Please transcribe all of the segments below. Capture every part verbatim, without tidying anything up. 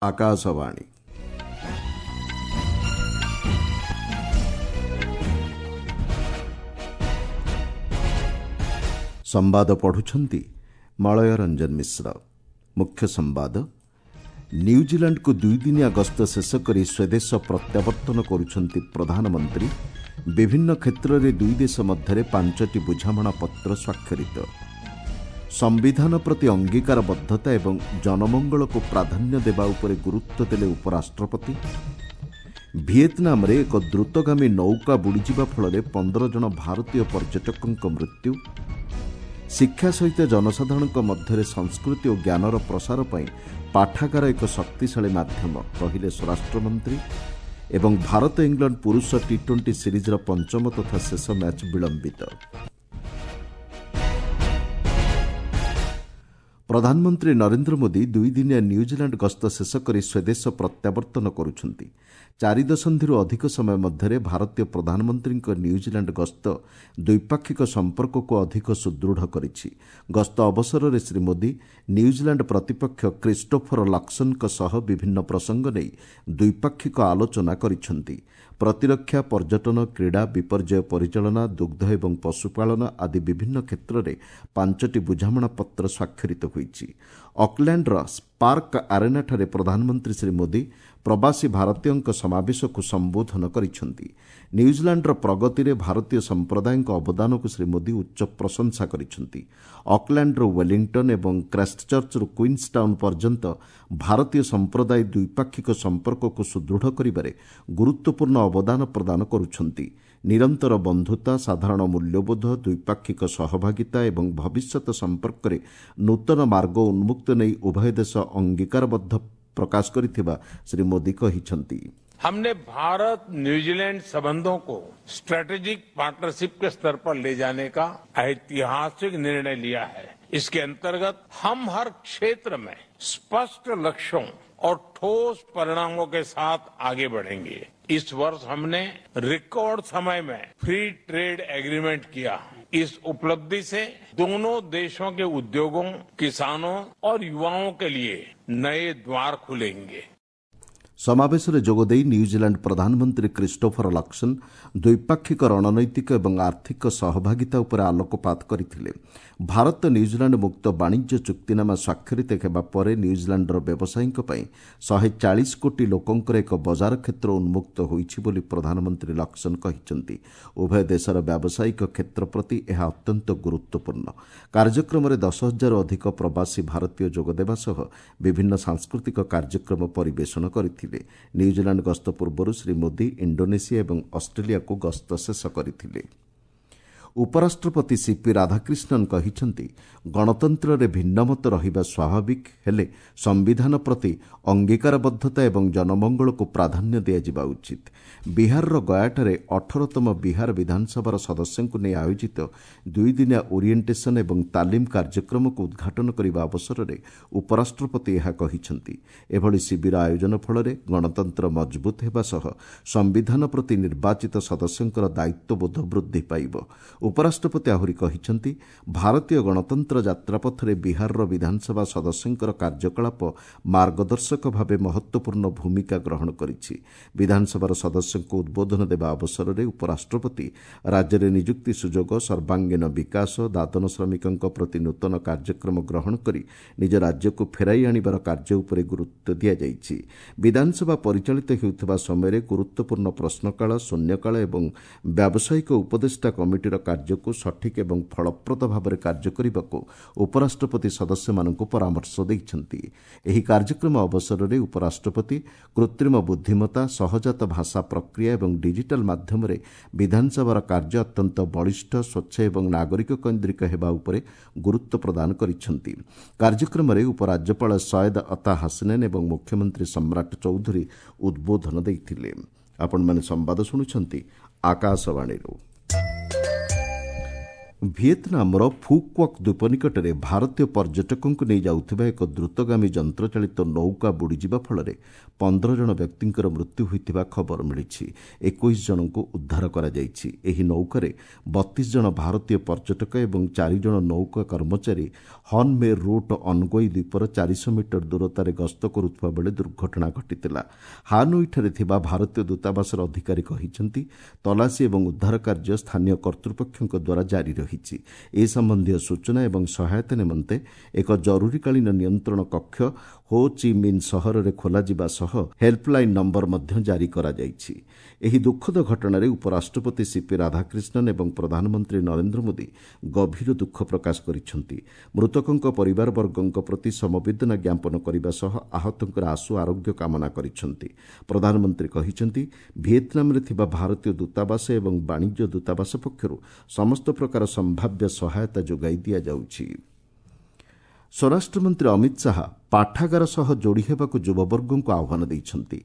ଆକାଶବାଣୀ। ସମ୍ବାଦ ପଢୁଛନ୍ତି ମଳୟ ରଞ୍ଜନ ମିଶ୍ର। ମୁଖ୍ୟ ସମ୍ବାଦ। ନ୍ୟୁଜିଲାଣ୍ଡକୁ ଦୁଇଦିନିଆ ଗସ୍ତ ଶେଷ କରି ସ୍ୱଦେଶ ପ୍ରତ୍ୟାବର୍ତ୍ତନ କରୁଛନ୍ତି ପ୍ରଧାନମନ୍ତ୍ରୀ। ବିଭିନ୍ନ କ୍ଷେତ୍ରରେ ଦୁଇ ଦେଶ ମଧ୍ୟରେ ପାଞ୍ଚଟି ବୁଝାମଣାପତ୍ର ସ୍ୱାକ୍ଷରିତ। ସମ୍ବିଧାନ ପ୍ରତି ଅଙ୍ଗୀକାରବଦ୍ଧତା ଏବଂ ଜନମଙ୍ଗଳକୁ ପ୍ରାଧାନ୍ୟ ଦେବା ଉପରେ ଗୁରୁତ୍ୱ ଦେଲେ ଉପରାଷ୍ଟ୍ରପତି। ଭିଏତନାମରେ ଏକ ଦ୍ରୁତଗାମୀ ନୌକା ବୁଡ଼ିଯିବା ଫଳରେ ପନ୍ଦର ଜଣ ଭାରତୀୟ ପର୍ଯ୍ୟଟକଙ୍କ ମୃତ୍ୟୁ। ଶିକ୍ଷା ସହିତ ଜନସାଧାରଣଙ୍କ ମଧ୍ୟରେ ସଂସ୍କୃତି ଓ ଜ୍ଞାନର ପ୍ରସାର ପାଇଁ ପାଠାଗାର ଏକ ଶକ୍ତିଶାଳୀ ମାଧ୍ୟମ, କହିଲେ ସ୍ୱରାଷ୍ଟ୍ରମନ୍ତ୍ରୀ। ଏବଂ ଭାରତ ଇଂଲଣ୍ଡ ପୁରୁଷ ଟି ଟ୍ୱେଣ୍ଟି ସିରିଜ୍ର ପଞ୍ଚମ ତଥା ଶେଷ ମ୍ୟାଚ୍ ବିଳମ୍ବିତ। ପ୍ରଧାନମନ୍ତ୍ରୀ ନରେନ୍ଦ୍ର ମୋଦି ଦୁଇଦିନିଆ ନ୍ୟୁଜିଲାଣ୍ଡ ଗସ୍ତ ଶେଷ କରି ସ୍ୱଦେଶ ପ୍ରତ୍ୟାବର୍ତ୍ତନ କରୁଛନ୍ତି। ଚାରି ଦଶନ୍ଧିରୁ ଅଧିକ ସମୟ ମଧ୍ୟରେ ଭାରତୀୟ ପ୍ରଧାନମନ୍ତ୍ରୀଙ୍କ ନ୍ୟୁଜିଲାଣ୍ଡ ଗସ୍ତ ଦ୍ୱିପାକ୍ଷିକ ସମ୍ପର୍କକୁ ଅଧିକ ସୁଦୃଢ଼ କରିଛି। ଗସ୍ତ ଅବସରରେ ଶ୍ରୀ ମୋଦି ନ୍ୟୁଜିଲାଣ୍ଡ ପ୍ରତିପକ୍ଷ କ୍ରିଷ୍ଟୋଫର ଲକ୍ସନଙ୍କ ସହ ବିଭିନ୍ନ ପ୍ରସଙ୍ଗ ନେଇ ଦ୍ୱିପାକ୍ଷିକ ଆଲୋଚନା କରିଛନ୍ତି। ପ୍ରତିରକ୍ଷା, ପର୍ଯ୍ୟଟନ, କ୍ରୀଡ଼ା, ବିପର୍ଯ୍ୟୟ ପରିଚାଳନା, ଦୁଗ୍ଧ ଏବଂ ପଶୁପାଳନ ଆଦି ବିଭିନ୍ନ କ୍ଷେତ୍ରରେ ପାଞ୍ଚଟି ବୁଝାମଣାପତ୍ର ସ୍ୱାକ୍ଷରିତ ହୋଇଛି। ଅକଲ୍ୟାଣ୍ଡର ସ୍ପାର୍କ ଆରେନାଠାରେ ପ୍ରଧାନମନ୍ତ୍ରୀ ଶ୍ରୀ ମୋଦି ପ୍ରବାସୀ ଭାରତୀୟଙ୍କ ସମାବେଶକୁ ସମ୍ବୋଧନ କରିଛନ୍ତି। ନ୍ୟୁଜିଲାଣ୍ଡର ପ୍ରଗତିରେ ଭାରତୀୟ ସମ୍ପ୍ରଦାୟଙ୍କ ଅବଦାନକୁ ଶ୍ରୀ ମୋଦି ଉଚ୍ଚ ପ୍ରଶଂସା କରିଛନ୍ତି। ଅକଲ୍ୟାଣ୍ଡରୁ ୱେଲିଂଟନ୍ ଏବଂ କ୍ରାଇଷ୍ଟଚର୍ଚ୍ଚରୁ କୁଇନ୍ସଟାଉନ୍ ପର୍ଯ୍ୟନ୍ତ ଭାରତୀୟ ସମ୍ପ୍ରଦାୟ ଦ୍ୱିପାକ୍ଷିକ ସମ୍ପର୍କକୁ ସୁଦୃଢ଼ କରିବାରେ ଗୁରୁତ୍ୱପୂର୍ଣ୍ଣ ଅବଦାନ ପ୍ରଦାନ କରୁଛନ୍ତି। ନିରନ୍ତର ବନ୍ଧୁତା, ସାଧାରଣ ମୂଲ୍ୟବୋଧ, ଦ୍ୱିପାକ୍ଷିକ ସହଭାଗିତା ଏବଂ ଭବିଷ୍ୟତ ସମ୍ପର୍କରେ ନୂତନ ମାର୍ଗ ଉନ୍ମୁକ୍ତ ନେଇ ଉଭୟ ଦେଶ ଅଙ୍ଗୀକାରବଦ୍ଧ ପ୍ରକାଶ କରିଥିବା ଶ୍ରୀ ମୋଦି କହିଛନ୍ତି। हमने भारत न्यूजीलैंड संबंधों को स्ट्रेटेजिक पार्टनरशिप के स्तर पर ले जाने का ऐतिहासिक निर्णय लिया है। इसके अंतर्गत हम हर क्षेत्र में स्पष्ट लक्ष्यों और ठोस परिणामों के साथ आगे बढ़ेंगे। इस वर्ष हमने रिकॉर्ड समय में फ्री ट्रेड एग्रीमेंट किया। इस उपलब्धि से दोनों देशों के उद्योगों, किसानों और युवाओं के लिए नए द्वार खुलेंगे। ସମାବେଶରେ ଯୋଗଦେଇ ନ୍ୟୁଜିଲାଣ୍ଡ ପ୍ରଧାନମନ୍ତ୍ରୀ କ୍ରିଷ୍ଟୋଫର ଲକ୍ସନ୍ ଦ୍ୱିପାକ୍ଷିକ ରଣନୈତିକ ଏବଂ ଆର୍ଥିକ ସହଭାଗିତା ଉପରେ ଆଲୋକପାତ କରିଥିଲେ। ଭାରତ ନ୍ୟୁଜିଲାଣ୍ଡ ମୁକ୍ତ ବାଣିଜ୍ୟ ଚୁକ୍ତିନାମା ସ୍ୱାକ୍ଷରିତ ହେବା ପରେ ନ୍ୟୁଜିଲାଣ୍ଡର ବ୍ୟବସାୟୀଙ୍କ ପାଇଁ ଶହେ ଚାଳିଶ କୋଟି ଲୋକଙ୍କର ଏକ ବଜାର କ୍ଷେତ୍ର ଉନ୍ମୁକ୍ତ ହୋଇଛି ବୋଲି ପ୍ରଧାନମନ୍ତ୍ରୀ ଲକ୍ସନ୍ କହିଛନ୍ତି। ଉଭୟ ଦେଶର ବ୍ୟାବସାୟିକ କ୍ଷେତ୍ର ପ୍ରତି ଏହା ଅତ୍ୟନ୍ତ ଗୁରୁତ୍ୱପୂର୍ଣ୍ଣ। କାର୍ଯ୍ୟକ୍ରମରେ ଦଶ ହଜାରରୁ ଅଧିକ ପ୍ରବାସୀ ଭାରତୀୟ ଯୋଗଦେବା ସହ ବିଭିନ୍ନ ସାଂସ୍କୃତିକ କାର୍ଯ୍ୟକ୍ରମ ପରିବେଷଣ କରିଥିଲେ। ନ୍ୟୁଜିଲାଣ୍ଡ ଗସ୍ତ ପୂର୍ବରୁ ଶ୍ରୀ ମୋଦି ଇଣ୍ଡୋନେସିଆ ଏବଂ ଅଷ୍ଟ୍ରେଲିଆକୁ ଗସ୍ତ ଶେଷ କରିଥିଲେ। ଉପରାଷ୍ଟ୍ରପତି ସିପି ରାଧାକ୍ରିଷ୍ଣନ୍ କହିଛନ୍ତି, ଗଣତନ୍ତ୍ରରେ ଭିନ୍ନମତ ରହିବା ସ୍ୱାଭାବିକ, ହେଲେ ସମ୍ବିଧାନ ପ୍ରତି ଅଙ୍ଗୀକାରବଦ୍ଧତା ଏବଂ ଜନମଙ୍ଗଳକୁ ପ୍ରାଧାନ୍ୟ ଦିଆଯିବା ଉଚିତ। ବିହାରର ଗୟାଠାରେ ଅଠରତମ ବିହାର ବିଧାନସଭାର ସଦସ୍ୟଙ୍କୁ ନେଇ ଆୟୋଜିତ ଦୁଇଦିନିଆ ଓରିଏଣ୍ଟେସନ୍ ଏବଂ ତାଲିମ କାର୍ଯ୍ୟକ୍ରମକୁ ଉଦ୍ଘାଟନ କରିବା ଅବସରରେ ଉପରାଷ୍ଟ୍ରପତି ଏହା କହିଛନ୍ତି। ଏଭଳି ଶିବିର ଆୟୋଜନ ଫଳରେ ଗଣତନ୍ତ୍ର ମଜବୁତ ହେବା ସହ ସମ୍ବିଧାନ ପ୍ରତି ନିର୍ବାଚିତ ସଦସ୍ୟଙ୍କର ଦାୟିତ୍ୱବୋଧ ବୃଦ୍ଧି ପାଇବ। ଉପରାଷ୍ଟ୍ରପତି ଆହୁରି କହିଛନ୍ତି, ଭାରତୀୟ ଗଣତନ୍ତ୍ର ଯାତ୍ରାପଥରେ ବିହାରର ବିଧାନସଭା ସଦସ୍ୟଙ୍କର କାର୍ଯ୍ୟକଳାପ ମାର୍ଗଦର୍ଶକ ଭାବେ ମହତ୍ୱପୂର୍ଣ୍ଣ ଭୂମିକା ଗ୍ରହଣ କରିଛି। ବିଧାନସଭାର ସଦସ୍ୟଙ୍କୁ ଉଦ୍ବୋଧନ ଦେବା ଅବସରରେ ଉପରାଷ୍ଟ୍ରପତି ରାଜ୍ୟରେ ନିଯୁକ୍ତି ସୁଯୋଗ, ସର୍ବାଙ୍ଗୀନ ବିକାଶ, ଦାଦନ ଶ୍ରମିକଙ୍କ ପ୍ରତି ନୂତନ କାର୍ଯ୍ୟକ୍ରମ ଗ୍ରହଣ କରି ନିଜ ରାଜ୍ୟକୁ ଫେରାଇ ଆଣିବାର କାର୍ଯ୍ୟ ଉପରେ ଗୁରୁତ୍ୱ ଦିଆଯାଇଛି। ବିଧାନସଭା ପରିଚାଳିତ ହେଉଥିବା ସମୟରେ ଗୁରୁତ୍ୱପୂର୍ଣ୍ଣ ପ୍ରଶ୍ନକାଳ, ଶୂନ୍ୟକାଳ ଏବଂ ବ୍ୟାବସାୟିକ ଉପଦେଷ୍ଟା କମିଟିର କାର୍ଯ୍ୟକୁ ସଠିକ୍ ଏବଂ ଫଳପ୍ରଦ ଭାବରେ କାର୍ଯ୍ୟ କରିବାକୁ ଉପରାଷ୍ଟ୍ରପତି ସଦସ୍ୟମାନଙ୍କୁ ପରାମର୍ଶ ଦେଇଛନ୍ତି। ଏହି କାର୍ଯ୍ୟକ୍ରମ ଅବସରରେ ଉପରାଷ୍ଟ୍ରପତି କୃତ୍ରିମ ବୁଦ୍ଧିମତ୍ତା, ସହଜାତ ଭାଷା ପ୍ରକ୍ରିୟା ଏବଂ ଡିଜିଟାଲ୍ ମାଧ୍ୟମରେ ବିଧାନସଭାର କାର୍ଯ୍ୟ ଅତ୍ୟନ୍ତ ବଳିଷ୍ଠ, ସ୍ୱଚ୍ଛ ଏବଂ ନାଗରିକ କୈନ୍ଦ୍ରିକ ହେବା ଉପରେ ଗୁରୁତ୍ୱ ପ୍ରଦାନ କରିଛନ୍ତି। କାର୍ଯ୍ୟକ୍ରମରେ ଉପରାଜ୍ୟପାଳ ସୟଦ ଅତା ହାସନେନ୍ ଏବଂ ମୁଖ୍ୟମନ୍ତ୍ରୀ ସମ୍ରାଟ ଚୌଧୁରୀ ଉଦ୍ବୋଧନ ଦେଇଥିଲେ। ଆପଣମାନେ ସମ୍ବାଦ ଶୁଣୁଛନ୍ତି ଆକାଶବାଣୀରୁ। ଭିଏତନାମର ଫୁକ୍ୱାକ୍ ଦ୍ୱୀପ ନିକଟରେ ଭାରତୀୟ ପର୍ଯ୍ୟଟକଙ୍କୁ ନେଇ ଯାଉଥିବା ଏକ ଦ୍ରୁତଗାମୀ ଯନ୍ତ୍ରଚାଳିତ ନୌକା ବୁଡ଼ିଯିବା ଫଳରେ ପନ୍ଦର ଜଣ ବ୍ୟକ୍ତିଙ୍କର ମୃତ୍ୟୁ ହୋଇଥିବା ଖବର ମିଳିଛି। ଏକୋଇଶ ଜଣଙ୍କୁ ଉଦ୍ଧାର କରାଯାଇଛି। ଏହି ନୌକାରେ ବତିଶ ଜଣ ଭାରତୀୟ ପର୍ଯ୍ୟଟକ ଏବଂ ଚାରି ଜଣ ନୌକା କର୍ମଚାରୀ ହନ୍ ମେ ରୁଟ୍ ଅନଗୋଇ ଦ୍ୱୀପର ଚାରିଶହ ମିଟର ଦୂରତାରେ ଗସ୍ତ କରୁଥିବା ବେଳେ ଦୁର୍ଘଟଣା ଘଟିଥିଲା। ହାନୋଇଠାରେ ଥିବା ଭାରତୀୟ ଦୂତାବାସର ଅଧିକାରୀ କହିଛନ୍ତି, ତଲାସୀ ଏବଂ ଉଦ୍ଧାର କାର୍ଯ୍ୟ ସ୍ଥାନୀୟ କର୍ତ୍ତୃପକ୍ଷଙ୍କ ଦ୍ୱାରା ଜାରି ରହିଛି। ଏ ସମ୍ବନ୍ଧୀୟ ସୂଚନା ଏବଂ ସହାୟତା ନିମନ୍ତେ ଏକ ଜରୁରୀକାଳୀନ ନିୟନ୍ତ୍ରଣ କକ୍ଷ ହୋ ଚି ମିନ୍ ସହରରେ ଖୋଲାଯିବା ସହ ହେଲ୍ପଲାଇନ୍ ନମ୍ବର ମଧ୍ୟ ଜାରି କରାଯାଇଛି। ଏହି ଦୁଃଖଦ ଘଟଣାରେ ଉପରାଷ୍ଟ୍ରପତି ସିପି ରାଧାକ୍ରିଷ୍ଣନ୍ ଏବଂ ପ୍ରଧାନମନ୍ତ୍ରୀ ନରେନ୍ଦ୍ର ମୋଦି ଗଭୀର ଦୁଃଖ ପ୍ରକାଶ କରିଛନ୍ତି। ମୃତକଙ୍କ ପରିବାରବର୍ଗଙ୍କ ପ୍ରତି ସମବେଦନା ଜ୍ଞାପନ କରିବା ସହ ଆହତଙ୍କର ଆଶୁ ଆରୋଗ୍ୟ କାମନା କରିଛନ୍ତି। ପ୍ରଧାନମନ୍ତ୍ରୀ କହିଛନ୍ତି, ଭିଏତନାମରେ ଥିବା ଭାରତୀୟ ଦୂତାବାସ ଏବଂ ବାଣିଜ୍ୟ ଦୂତାବାସ ପକ୍ଷରୁ ସମସ୍ତ ପ୍ରକାର ସମ୍ଭାବ୍ୟ ସହାୟତା ଯୋଗାଇ ଦିଆଯାଉଛି। ସ୍ୱରାଷ୍ଟ୍ରମନ୍ତ୍ରୀ ଅମିତ ଶାହା ପାଠାଗାର ସହ ଯୋଡ଼ି ହେବାକୁ ଯୁବବର୍ଗଙ୍କୁ ଆହ୍ୱାନ ଦେଇଛନ୍ତି।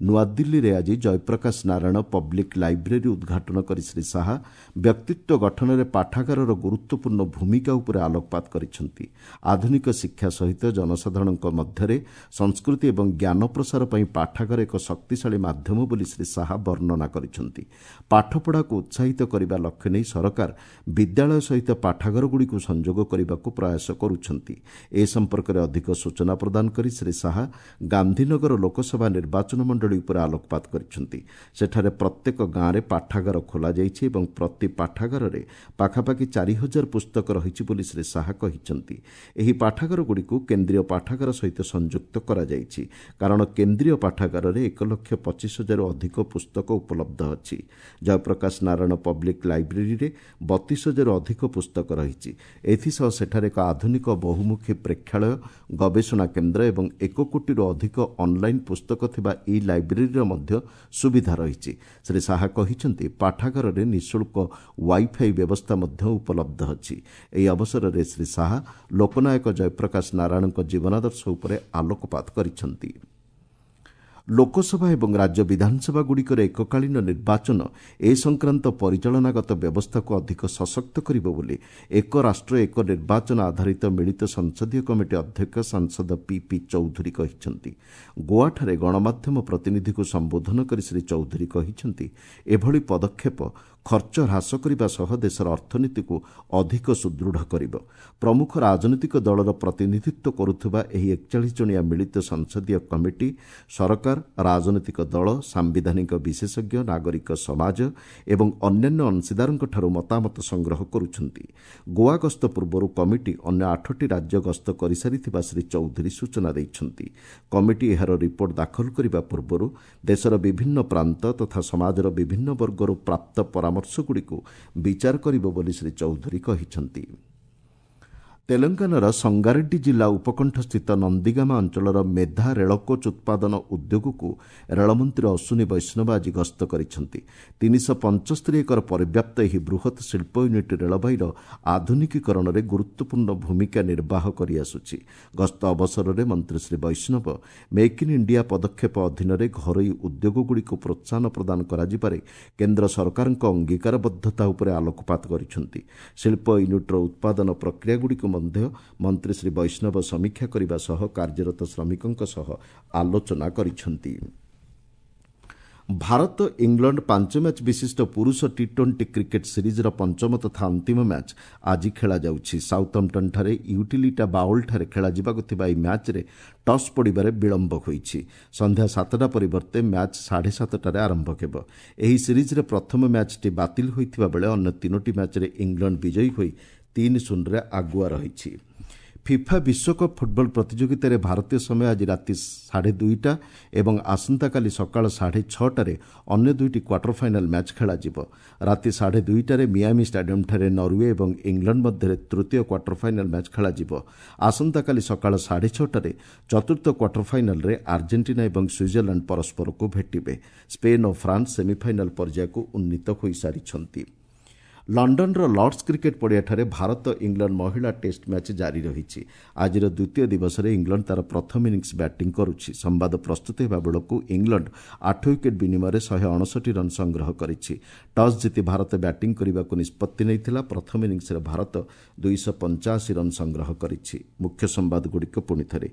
ନୂଆଦିଲ୍ଲୀରେ ଆଜି ଜୟପ୍ରକାଶ ନାରାୟଣ ପବ୍ଲିକ୍ ଲାଇବ୍ରେରୀ ଉଦ୍ଘାଟନ କରି ଶ୍ରୀ ଶାହା ବ୍ୟକ୍ତିତ୍ୱ ଗଠନରେ ପାଠାଗାରର ଗୁରୁତ୍ୱପୂର୍ଣ୍ଣ ଭୂମିକା ଉପରେ ଆଲୋକପାତ କରିଛନ୍ତି। ଆଧୁନିକ ଶିକ୍ଷା ସହିତ ଜନସାଧାରଣଙ୍କ ମଧ୍ୟରେ ସଂସ୍କୃତି ଏବଂ ଜ୍ଞାନ ପ୍ରସାର ପାଇଁ ପାଠାଗାର ଏକ ଶକ୍ତିଶାଳୀ ମାଧ୍ୟମ ବୋଲି ଶ୍ରୀ ଶାହା ବର୍ଣ୍ଣନା କରିଛନ୍ତି। ପାଠପଢ଼ାକୁ ଉତ୍ସାହିତ କରିବା ଲକ୍ଷ୍ୟ ନେଇ ସରକାର ବିଦ୍ୟାଳୟ ସହିତ ପାଠାଗାରଗୁଡ଼ିକୁ ସଂଯୋଗ କରିବାକୁ ପ୍ରୟାସ କରୁଛନ୍ତି। ଏ ସମ୍ପର୍କରେ ଅଧିକ ସୂଚନା ପ୍ରଦାନ କରି ଶ୍ରୀ ଶାହା ଗାନ୍ଧୀନଗର ଲୋକସଭା ନିର୍ବାଚନ ମଣ୍ଡଳୀ ଉପରେ ଆଲୋକପାତ କରିଛନ୍ତି। ସେଠାରେ ପ୍ରତ୍ୟେକ ଗାଁରେ ପାଠାଗାର ଖୋଲାଯାଇଛି ଏବଂ ପ୍ରତି ପାଠାଗାରରେ ପାଖାପାଖି ଚାରି ହଜାର ପୁସ୍ତକ ରହିଛି ବୋଲି ଶ୍ରୀ ଶାହା କହିଛନ୍ତି। ଏହି ପାଠାଗାରଗୁଡ଼ିକୁ କେନ୍ଦ୍ରୀୟ ପାଠାଗାର ସହିତ ସଂଯୁକ୍ତ କରାଯାଇଛି, କାରଣ କେନ୍ଦ୍ରୀୟ ପାଠାଗାରରେ ଏକ ଲକ୍ଷ ପଚିଶ ହଜାରରୁ ଅଧିକ ପୁସ୍ତକ ଉପଲବ୍ଧ ଅଛି। ଜୟପ୍ରକାଶ ନାରାୟଣ ପବ୍ଲିକ୍ ଲାଇବ୍ରେରୀରେ ବତିଶ ହଜାରରୁ ଅଧିକ ପୁସ୍ତକ ରହିଛି। ଏଥିସହ ସେଠାରେ ଏକ ଆଧୁନିକ ବହୁମୁଖୀ ପ୍ରେକ୍ଷାଳୟ, ଗବେଷଣା କେନ୍ଦ୍ର ଏବଂ ଏକ କୋଟିରୁ ଅଧିକ ଅନ୍ଲାଇନ୍ ପୁସ୍ତକ ଥିବା ଇ ଲାଇବ୍ରେରୀର ମଧ୍ୟ ସୁବିଧା ରହିଛି। ଶ୍ରୀ ଶାହା କହିଛନ୍ତି, ପାଠାଗାରରେ ନିଃଶୁଳ୍କ ୱାଇଫାଇ ବ୍ୟବସ୍ଥା ମଧ୍ୟ ଉପଲବ୍ଧ ଅଛି। ଏହି ଅବସରରେ ଶ୍ରୀ ଶାହା ଲୋକନାୟକ ଜୟପ୍ରକାଶ ନାରାୟଣଙ୍କ ଜୀବନାଦର୍ଶ ଉପରେ ଆଲୋକପାତ କରିଛନ୍ତି। ଲୋକସଭା ଏବଂ ରାଜ୍ୟ ବିଧାନସଭାଗୁଡ଼ିକର ଏକକାଳୀନ ନିର୍ବାଚନ ଏ ସଂକ୍ରାନ୍ତ ପରିଚାଳନାଗତ ବ୍ୟବସ୍ଥାକୁ ଅଧିକ ସଶକ୍ତ କରିବ ବୋଲି ଏକ ରାଷ୍ଟ୍ର ଏକ ନିର୍ବାଚନ ଆଧାରିତ ମିଳିତ ସଂସଦୀୟ କମିଟି ଅଧ୍ୟକ୍ଷ ସାଂସଦ ପିପି ଚୌଧୁରୀ କହିଛନ୍ତି। ଗୋଆଠାରେ ଗଣମାଧ୍ୟମ ପ୍ରତିନିଧିକୁ ସମ୍ବୋଧନ କରି ଶ୍ରୀ ଚୌଧୁରୀ କହିଛନ୍ତି, ଏଭଳି ପଦକ୍ଷେପ ଖର୍ଚ୍ଚ ହ୍ରାସ କରିବା ସହ ଦେଶର ଅର୍ଥନୀତିକୁ ଅଧିକ ସୁଦୃଢ଼ କରିବ। ପ୍ରମୁଖ ରାଜନୈତିକ ଦଳର ପ୍ରତିନିଧିତ୍ୱ କରୁଥିବା ଏହି ଏକଚାଳିଶ ଜଣିଆ ମିଳିତ ସଂସଦୀୟ କମିଟି ସରକାର, ରାଜନୈତିକ ଦଳ, ସାମ୍ବିଧାନିକ ବିଶେଷଜ୍ଞ, ନାଗରିକ ସମାଜ ଏବଂ ଅନ୍ୟାନ୍ୟ ଅଂଶୀଦାରଙ୍କଠାରୁ ମତାମତ ସଂଗ୍ରହ କରୁଛନ୍ତି। ଗୋଆ ଗସ୍ତ ପୂର୍ବରୁ କମିଟି ଅନ୍ୟ ଆଠଟି ରାଜ୍ୟ ଗସ୍ତ କରିସାରିଥିବା ଶ୍ରୀ ଚୌଧୁରୀ ସୂଚନା ଦେଇଛନ୍ତି। କମିଟି ଏହାର ରିପୋର୍ଟ ଦାଖଲ କରିବା ପୂର୍ବରୁ ଦେଶର ବିଭିନ୍ନ ପ୍ରାନ୍ତ ତଥା ସମାଜର ବିଭିନ୍ନ ବର୍ଗରୁ ପ୍ରାପ୍ତ ପରାମର୍ଶଗୁଡ଼ିକୁ ବିଚାର କରିବ ବୋଲି ଶ୍ରୀ ଚୌଧୁରୀ କହିଛନ୍ତି। ତେଲେଙ୍ଗାନାର ସଙ୍ଗାରେଡ୍ଡି ଜିଲ୍ଲା ଉପକଣ୍ଠସ୍ଥିତ ନନ୍ଦିଗାମା ଅଞ୍ଚଳର ମେଧା ରେଳକୋଚ୍ ଉତ୍ପାଦନ ଉଦ୍ୟୋଗକୁ ରେଳମନ୍ତ୍ରୀ ଅଶ୍ୱିନୀ ବୈଷ୍ଣବ ଆଜି ଗସ୍ତ କରିଛନ୍ତି। ତିନିଶହ ପଞ୍ଚସ୍ତରୀ ଏକର ପରିବ୍ୟାପ୍ତ ଏହି ବୃହତ୍ ଶିଳ୍ପ ୟୁନିଟ୍ ରେଳବାଇର ଆଧୁନିକୀକରଣରେ ଗୁରୁତ୍ୱପୂର୍ଣ୍ଣ ଭୂମିକା ନିର୍ବାହ କରିଆସୁଛି। ଗସ୍ତ ଅବସରରେ ମନ୍ତ୍ରୀ Shri Vaishnaw make in India ପଦକ୍ଷେପ ଅଧୀନରେ ଘରୋଇ ଉଦ୍ୟୋଗଗୁଡ଼ିକୁ ପ୍ରୋତ୍ସାହନ ପ୍ରଦାନ କରାଯିବାରେ କେନ୍ଦ୍ର ସରକାରଙ୍କ ଅଙ୍ଗୀକାରବଦ୍ଧତା ଉପରେ ଆଲୋକପାତ କରିଛନ୍ତି। ଶିଳ୍ପ ୟୁନିଟ୍ର ଉତ୍ପାଦନ ପ୍ରକ୍ରିୟାଗୁଡ଼ିକୁ ମଧ୍ୟ ମନ୍ତ୍ରୀ ଶ୍ରୀ ବୈଷ୍ଣବ ସମୀକ୍ଷା କରିବା ସହ କାର୍ଯ୍ୟରତ ଶ୍ରମିକଙ୍କ ସହ ଆଲୋଚନା କରିଛନ୍ତି। ଭାରତ ଇଂଲଣ୍ଡ ପାଞ୍ଚ ମ୍ୟାଚ୍ ବିଶିଷ୍ଟ ପୁରୁଷ ଟି ଟ୍ୱେଣ୍ଟି କ୍ରିକେଟ୍ ସିରିଜ୍ର ପଞ୍ଚମ ତଥା ଅନ୍ତିମ ମ୍ୟାଚ୍ ଆଜି ଖେଳାଯାଉଛି। ସାଉଥମ୍ପଟନ୍ଠାରେ ୟୁଟିଲିଟା ବାଉଲ୍ଠାରେ ଖେଳାଯିବାକୁ ଥିବା ଏହି ମ୍ୟାଚ୍ରେ ଟସ୍ ପଡ଼ିବାରେ ବିଳମ୍ବ ହୋଇଛି। ସନ୍ଧ୍ୟା ସାତଟା ପରିବର୍ତ୍ତେ ମ୍ୟାଚ୍ ସାଢ଼େ ସାତଟାରେ ଆରମ୍ଭ ହେବ। ଏହି ସିରିଜ୍ରେ ପ୍ରଥମ ମ୍ୟାଚ୍ଟି ବାତିଲ ହୋଇଥିବା ବେଳେ ଅନ୍ୟ ତିନୋଟି ମ୍ୟାଚ୍ରେ ଇଂଲଣ୍ଡ ବିଜୟୀ ହୋଇ ତିନି ଶୂନରେ ଆଗୁଆ ରହିଛି। ଫିଫା ବିଶ୍ୱକପ୍ ଫୁଟବଲ ପ୍ରତିଯୋଗିତାରେ ଭାରତୀୟ ସମୟ ଆଜି ରାତି ସାଢ଼େ ଦୁଇଟା ଏବଂ ଆସନ୍ତାକାଲି ସକାଳ ସାଢ଼େ ଛଅଟାରେ ଅନ୍ୟ ଦୁଇଟି କ୍ୱାର୍ଟର ଫାଇନାଲ୍ ମ୍ୟାଚ୍ ଖେଳାଯିବ। ରାତି ସାଢ଼େ ଦୁଇଟାରେ ମିଆମି ଷ୍ଟାଡିୟମ୍ଠାରେ ନରୱେ ଏବଂ ଇଂଲଣ୍ଡ ମଧ୍ୟରେ ତୃତୀୟ କ୍ୱାର୍ଟର ଫାଇନାଲ୍ ମ୍ୟାଚ୍ ଖେଳାଯିବ। ଆସନ୍ତାକାଲି ସକାଳ ସାଢ଼େ ଛଅଟାରେ ଚତୁର୍ଥ କ୍ୱାର୍ଟର ଫାଇନାଲ୍ରେ ଆର୍ଜେଣ୍ଟିନା ଏବଂ ସୁଇଜରଲ୍ୟାଣ୍ଡ ପରସ୍ପରକୁ ଭେଟିବେ। ସ୍ପେନ୍ ଓ ଫ୍ରାନ୍ସ ସେମିଫାଇନାଲ୍ ପର୍ଯ୍ୟାୟକୁ ଉନ୍ନୀତ ହୋଇସାରିଛନ୍ତି। ଲଣ୍ଡନର ଲର୍ଡସ୍ କ୍ରିକେଟ୍ ପଡ଼ିଆଠାରେ ଭାରତ ଇଂଲଣ୍ଡ ମହିଳା ଟେଷ୍ଟ ମ୍ୟାଚ୍ ଜାରି ରହିଛି। ଆଜିର ଦ୍ୱିତୀୟ ଦିବସରେ ଇଂଲଣ୍ଡ ତା'ର ପ୍ରଥମ ଇନିଂସ୍ ବ୍ୟାଟିଂ କରୁଛି। ସମ୍ବାଦ ପ୍ରସ୍ତୁତ ହେବା ବେଳକୁ ଇଂଲଣ୍ଡ ଆଠ ୱିକେଟ୍ ବିନିମୟରେ ଶହେ ଅଣଷଠି ରନ୍ ସଂଗ୍ରହ କରିଛି। ଟସ୍ ଜିତି ଭାରତ ବ୍ୟାଟିଂ କରିବାକୁ ନିଷ୍ପତ୍ତି ନେଇଥିଲା। ପ୍ରଥମ ଇନିଂସ୍ରେ ଭାରତ ଦୁଇଶହ ପଞ୍ଚାଅଶୀ ରନ୍ ସଂଗ୍ରହ କରିଛି। ମୁଖ୍ୟ ସମ୍ବାଦଗୁଡ଼ିକ ପୁଣିଥରେ।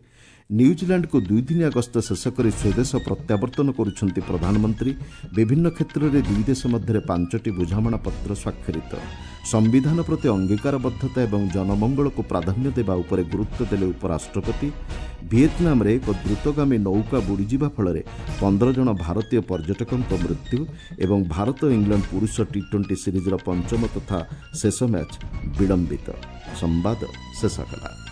ନ୍ୟୁଜିଲାଣ୍ଡକୁ ଦୁଇଦିନିଆ ଗସ୍ତ ଶେଷ କରି ସ୍ୱଦେଶ ପ୍ରତ୍ୟାବର୍ତ୍ତନ କରୁଛନ୍ତି ପ୍ରଧାନମନ୍ତ୍ରୀ। ବିଭିନ୍ନ କ୍ଷେତ୍ରରେ ଦୁଇ ଦେଶ ମଧ୍ୟରେ ପାଞ୍ଚଟି ବୁଝାମଣାପତ୍ର ସ୍ୱାକ୍ଷରିତ। ସମ୍ବିଧାନ ପ୍ରତି ଅଙ୍ଗୀକାରବଦ୍ଧତା ଏବଂ ଜନମଙ୍ଗଳକୁ ପ୍ରାଧାନ୍ୟ ଦେବା ଉପରେ ଗୁରୁତ୍ୱ ଦେଲେ ଉପରାଷ୍ଟ୍ରପତି। ଭିଏତନାମରେ ଏକ ଦ୍ରୁତଗାମୀ ନୌକା ବୁଡ଼ିଯିବା ଫଳରେ ପନ୍ଦର ଜଣ ଭାରତୀୟ ପର୍ଯ୍ୟଟକଙ୍କ ମୃତ୍ୟୁ ଏବଂ ଭାରତ ଇଂଲଣ୍ଡ ପୁରୁଷ ଟି ଟ୍ୱେଣ୍ଟି ସିରିଜ୍ର ପଞ୍ଚମ ତଥା ଶେଷ ମ୍ୟାଚ୍ ବିଳମ୍ବିତ। ସମ୍ବାଦ ଶେଷ ହେଲା।